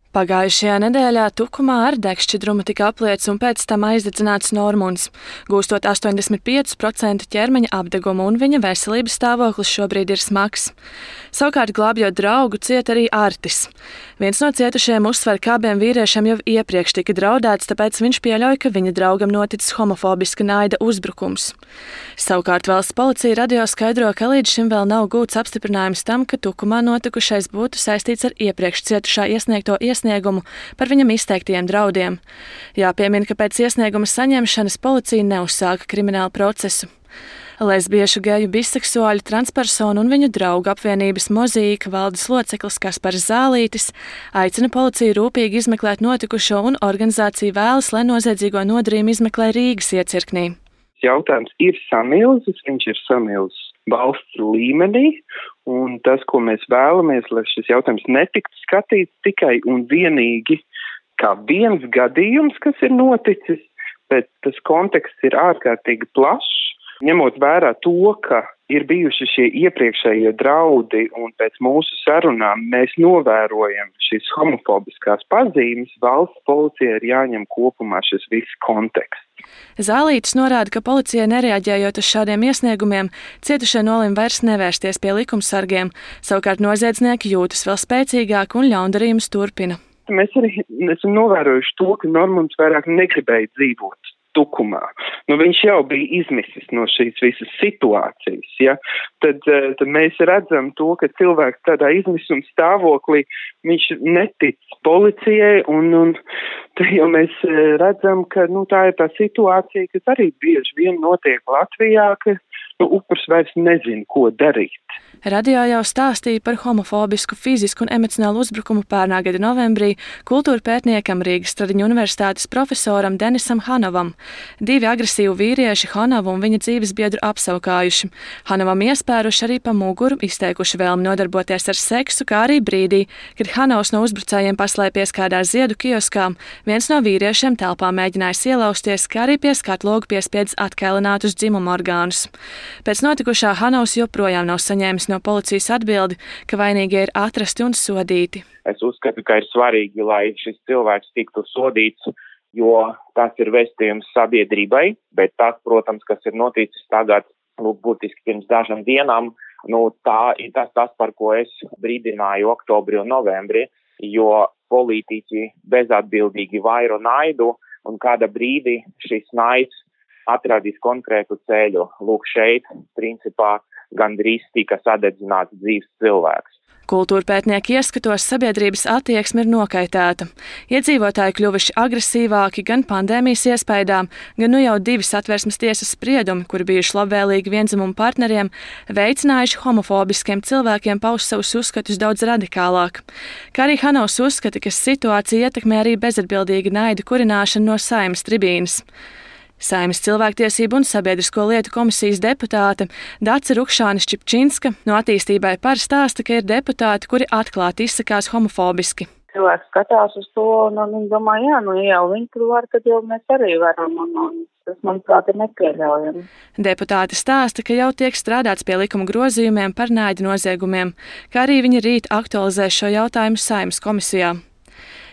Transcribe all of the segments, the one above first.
Pagājušajā nedēļā Tukumā ar degšķidrumu tika apliets un pēc tam aizdedzināts Normunds, gūstot 85% ķermeņa apdegumu, un viņa veselības stāvoklis šobrīd ir smags. Savukārt, glābjot draugu, ciet arī Artis. Viens no cietušajiem uzsver, ka abiem vīriešiem jau iepriekš tika draudēts, tāpēc viņš pieļauj, ka viņa draugam noticis homofobiska naida uzbrukums. Savukārt valsts policija radio skaidro, ka līdz šim vēl nav gūts apstiprinājums tam, ka Tukumā notikušais būtu saistīts ar iepriekš cietušā iesniegto iesniegumu par viņam izteiktajiem draudiem. Jāpiemina, ka pēc iesnieguma saņemšanas policija neuzsāka kriminālu procesu. Lesbiešu, geju, biseksuāļu, transpersonu un viņu draugu apvienības Mozīka valdes loceklis Kaspars Zālītis aicina policiju rūpīgi izmeklēt notikušo, un organizācija vēlas, lai noziedzīgo nodarījumu izmeklē Rīgas iecirknī. Jautājums ir samilzis, viņš ir samilzis valsts līmenī, un tas, ko mēs vēlamies, lai šis jautājums netiktu skatīts tikai un vienīgi kā viens gadījums, kas ir noticis, bet tas konteksts ir ārkārtīgi plašs. Ņemot vērā to, ka ir bijuši šie iepriekšējie draudi un pēc mūsu sarunām mēs novērojam šīs homofobiskās pazīmes, valsts policijai ir jāņem kopumā šis viss konteksts. Zālītis norāda, ka policijai nereaģējot uz šādiem iesniegumiem, cietušie nolēma vairs nevērsties pie likumsargiem, savukārt noziedznieki jūtas vēl spēcīgāk un ļaundarījumus turpina. Mēs arī esam novērojuši to, ka Normunds vairāk negribēja dzīvot Tukumā. Viņš jau bija izmisis no šīs visas situācijas, ja? Tad mēs redzam to, ka cilvēks tādā izmisuma stāvoklī, viņš netic policijai, un te jau mēs redzam, ka tā ir tā situācija, kas arī bieži vien notiek Latvijā, ka upurs vairs nezina, ko darīt. Radio jau stāstīja par homofobisku, fizisku un emocionālu uzbrukumu pērnā gada novembrī kultūra pētniekam Rīgas Stradiņu universitātes profesoram Denisam Hanovam. 2 agresīvi vīrieši Hanovu un viņa dzīves biedru apsaukājuši. Hanovam iespēruši arī pa muguru, izteikuši vēlmi nodarboties ar seksu, kā arī brīdī, kad Hanovs no uzbrucējiem paslēpies kādā ziedu kioskā, viens no vīriešiem telpā mēģinājis ielausties, kā arī pie skatlogu piespiedz atkailinātus dzimumu orgānus. Pēc notikušā Hanovs joprojām nav saņēmis no policijas atbildi, ka vainīgie ir atrasti un sodīti. Es uzskatu, ka ir svarīgi, lai šis cilvēks tiktu sodīts, jo tas ir vēstījums sabiedrībai, bet tas, protams, kas ir noticis tagad, būtiski pirms dažām dienām, tā ir tas, par ko es brīdināju oktobrī un novembrī, jo politiķi bezatbildīgi vairo naidu, un kāda brīdī šis naids atradīs konkrētu ceļu. Šeit, principā, gandrīz tika sadedzināts dzīves cilvēks. Kultūra pētnieki ieskatos sabiedrības attieksme ir nokaitēta. Iedzīvotāji kļuvuši agresīvāki gan pandēmijas iespējām, gan jau 2 satversmes tiesas spriedumi, kuri bijuši labvēlīgi viendzimumu partneriem, veicinājuši homofobiskiem cilvēkiem paust savus uzskatus daudz radikālāk. Kā arī Hanovs uzskata, ka situācija ietekmē arī bezatbildīga naida kurināšana no Saeimas tribīnes. Saeimas cilvēktiesību un sabiedrisko lietu komisijas deputāte Dace Rukšāne-Šķipčinska no Attīstībai par stāsta, ka ir deputāti, kuri atklāti izsakās homofobiski. Cilvēks skatās uz to un viņi domā, ja jau viņi tur var, tad jau mēs arī varam, un tas, manuprāt, ir nepieļaujami. Deputāte stāsta, ka jau tiek strādāts pie likuma grozījumiem par naida noziegumiem, kā arī viņi rīt aktualizēs šo jautājumu Saeimas komisijā.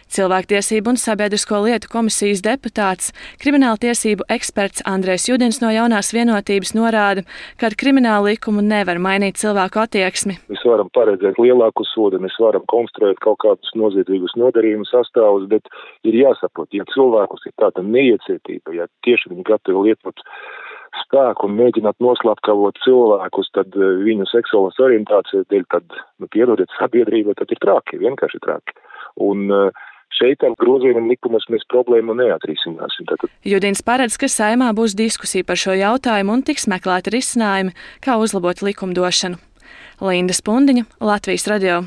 Cilvēktiesību un sabiedrisko lietu komisijas deputāts, krimināla tiesību eksperts Andrejs Judins no Jaunās vienotības norāda, ka ar kriminālu likumu nevar mainīt cilvēku attieksmi. Mēs varam paredzēt lielāku sodu, mēs varam konstruēt kaut kādus noziedzīgus nodarījumus sastāvus, bet ir jāsaprot, ja cilvēkus ir tāda neiecietība, ja tieši viņi gatavi lietot spēku un mēģināt noslapkavot cilvēkus, tad viņu seksuālas orientācijas dēļ, tad, piedodiet sabiedrība, tad ir traki, vienkārši traki. Un šeit ar grozījumiem likumus mēs problēmu neatrisināsim. Judins paredz, ka Saeimā būs diskusija par šo jautājumu un tiks meklēti risinājumi, kā uzlabot likumdošanu. Linda Spundiņa, Latvijas radio.